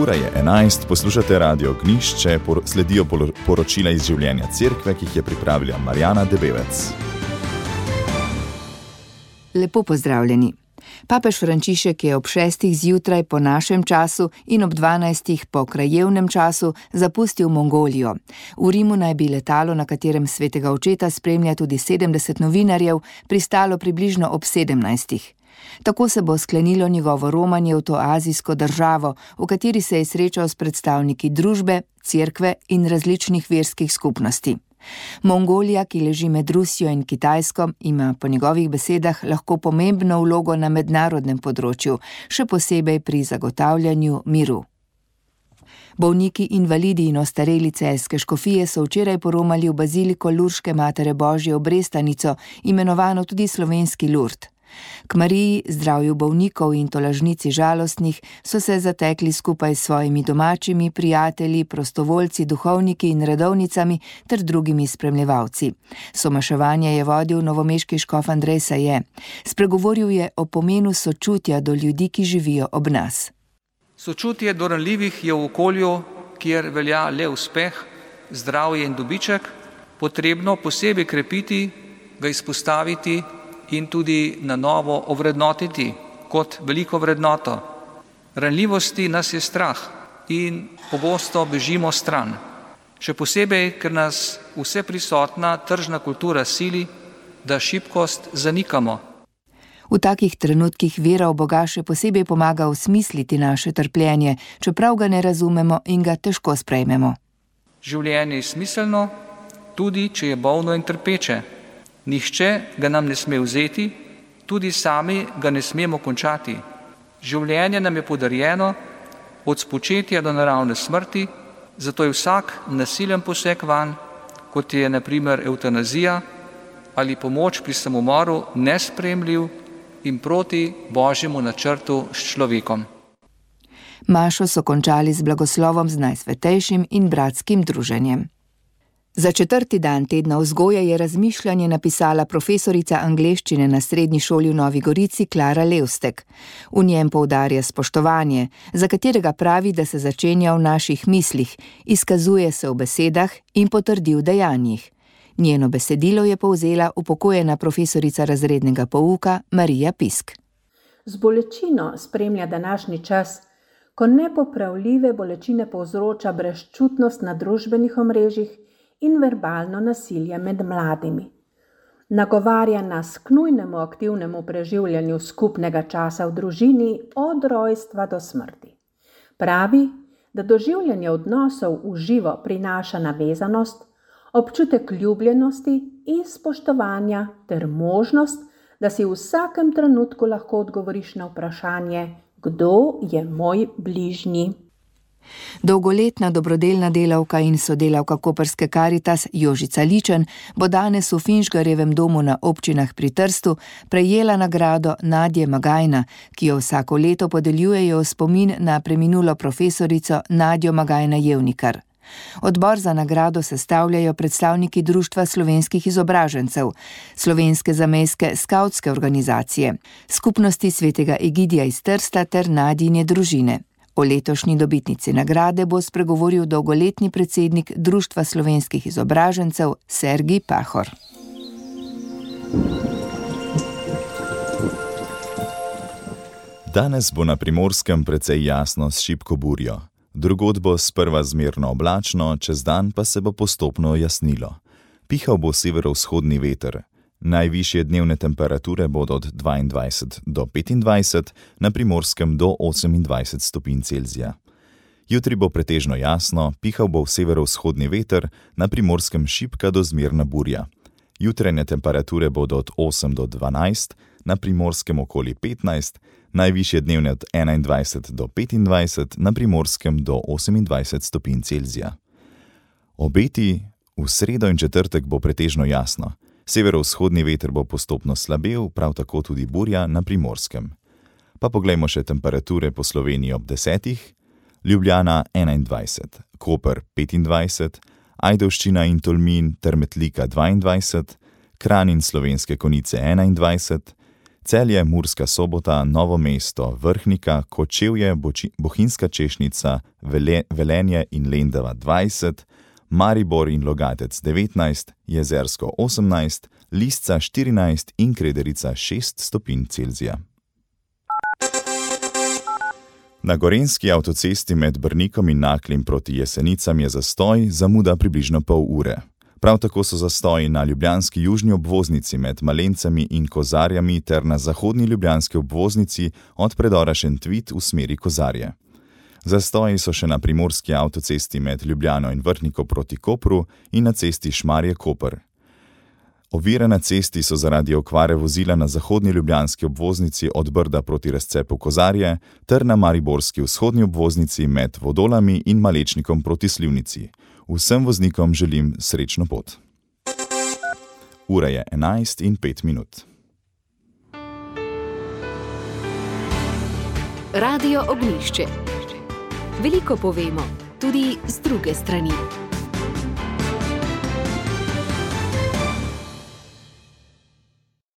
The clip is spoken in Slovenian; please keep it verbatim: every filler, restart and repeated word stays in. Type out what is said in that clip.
Ura je enajst, poslušate Radio Gnišče, por, sledijo poročila iz življenja cerkve, ki jih je pripravila Marjana Debevec. Lepo pozdravljeni. Papež Frančišek je ob šestih zjutraj po našem času in ob dvanajstih po krajevnem času zapustil Mongolijo. V Rimu naj bi letalo, na katerem svetega očeta spremlja tudi sedemdeset novinarjev, pristalo približno ob sedemnajstih. Tako se bo sklenilo njegovo romanje v to azijsko državo, v kateri se je srečal s predstavniki družbe, cerkve in različnih verskih skupnosti. Mongolija, ki leži med Rusijo in Kitajsko, ima po njegovih besedah lahko pomembno vlogo na mednarodnem področju, še posebej pri zagotavljanju miru. Bolniki, invalidi in ostareli celjske škofije so včeraj poromali v baziliko Lurške Matere Božje v Brestanico, imenovano tudi slovenski Lurd. K Mariji, zdravju bolnikov in tolažnici žalostnih so se zatekli skupaj s svojimi domačimi, prijatelji, prostovoljci, duhovniki in redovnicami ter drugimi spremljevalci. Somaševanje je vodil novomeški škof Andrej Saje. Spregovoril je o pomenu sočutja do ljudi, ki živijo ob nas. Sočutje do ranljivih je v okolju, kjer velja le uspeh, zdravje in dobiček, potrebno posebej krepiti, ga izpostaviti in tudi na novo ovrednotiti kot veliko vrednoto. Ranljivosti nas je strah in pogosto bežimo stran. Še posebej, ker nas vse prisotna tržna kultura sili, da šibkost zanikamo. V takih trenutkih vera v Boga še posebej pomaga osmisliti naše trpljenje, čeprav ga ne razumemo in ga težko sprejmemo. Življenje je smiselno, tudi če je bolno in trpeče. Nihče ga nam ne sme vzeti, tudi sami ga ne smemo končati. Življenje nam je podarjeno od spočetja do naravne smrti, zato je vsak nasilen poseg vanj, kot je na primer evtanazija ali pomoč pri samomoru, nesprejemljiv in proti Božjemu načrtu s človekom. Mašo so končali z blagoslovom z najsvetejšim in bratskim druženjem. Za četrti dan tedna vzgoje je razmišljanje napisala profesorica angleščine na srednji šoli v Novi Gorici Klara Levstek. V njem poudarja spoštovanje, za katerega pravi, da se začenja v naših mislih, izkazuje se v besedah in potrdi v dejanjih. Njeno besedilo je povzela upokojena profesorica razrednega pouka Marija Pisk. Z bolečino spremlja današnji čas, ko nepopravljive bolečine povzroča brezčutnost na družbenih omrežjih in verbalno nasilje med mladimi. Nagovarja nas k nujnemu aktivnemu preživljanju skupnega časa v družini od rojstva do smrti. Pravi, da doživljanje odnosov v živo prinaša navezanost, občutek ljubljenosti in spoštovanja ter možnost, da si v vsakem trenutku lahko odgovoriš na vprašanje, kdo je moj bližnji. Dolgoletna dobrodelna delavka in sodelavka koprske Karitas Jožica Ličen bo danes v Finžgarjevem domu na občinah pri Trstu prejela nagrado Nadje Magajna, ki jo vsako leto podeljujejo v spomin na preminulo profesorico Nadjo Magajna-Jevnikar. Odbor za nagrado sestavljajo predstavniki Društva slovenskih izobražencev, Slovenske zamejske skavtske organizacije, Skupnosti svetega Egidija iz Trsta ter Nadjine družine. O letošnji dobitnici nagrade bo spregovoril dolgoletni predsednik Društva slovenskih izobražencev Sergij Pahor. Danes bo na Primorskem precej jasno s šibko burjo. Drugod bo sprva zmerno oblačno, čez dan pa se bo postopno jasnilo. Pihal bo severovzhodni veter. Najvišje dnevne temperature bodo od dvaindvajset do petindvajset, na Primorskem do osemindvajset stopinj Celzija. Jutri bo pretežno jasno, pihal bo severovzhodni veter, na Primorskem šibka do zmerna burja. Jutranje temperature bodo od osem do dvanajst, na Primorskem okoli petnajst, najvišje dnevne od enaindvajset do petindvajset, na Primorskem do osemindvajset stopinj Celzija. Obeti: v sredo in četrtek bo pretežno jasno. Severovzhodni veter bo postopno slabel, prav tako tudi burja na Primorskem. Pa poglejmo še temperature po Sloveniji ob desetih. Ljubljana enaindvajset, Koper petindvajset, Ajdovščina in Tolmin ter Metlika dvaindvajset, Kranj in Slovenske Konjice enaindvajset, Celje, Murska Sobota, Novo mesto, Vrhnika, Kočevje, Bohinjska Češnica, Velenje in Lendava dvajset, Maribor in Logatec devetnajst, Jezersko osemnajst, Lisca štirinajst in Krederica šest stopinj Celzija. Na gorenjski avtocesti med Brnikom in Naklim proti Jesenicam je zastoj, zamuda približno pol ure. Prav tako so zastoji na ljubljanski južni obvoznici med Malencami in Kozarjami ter na zahodni ljubljanski obvoznici od predora Šentvid v smeri Kozarje. Zastoji so še na primorski avtocesti med Ljubljano in Vrhniko proti Kopru in na cesti Šmarje-Koper. Ovire na cesti so zaradi okvare vozila na zahodni ljubljanski obvoznici od Brda proti razcepu Kozarje ter na mariborski vzhodni obvoznici med Vodolami in Malečnikom proti Slivnici. Vsem voznikom želim srečno pot. Ura je enajst in pet minut. Radio Ognjišče. Veliko povemo, tudi z druge strani.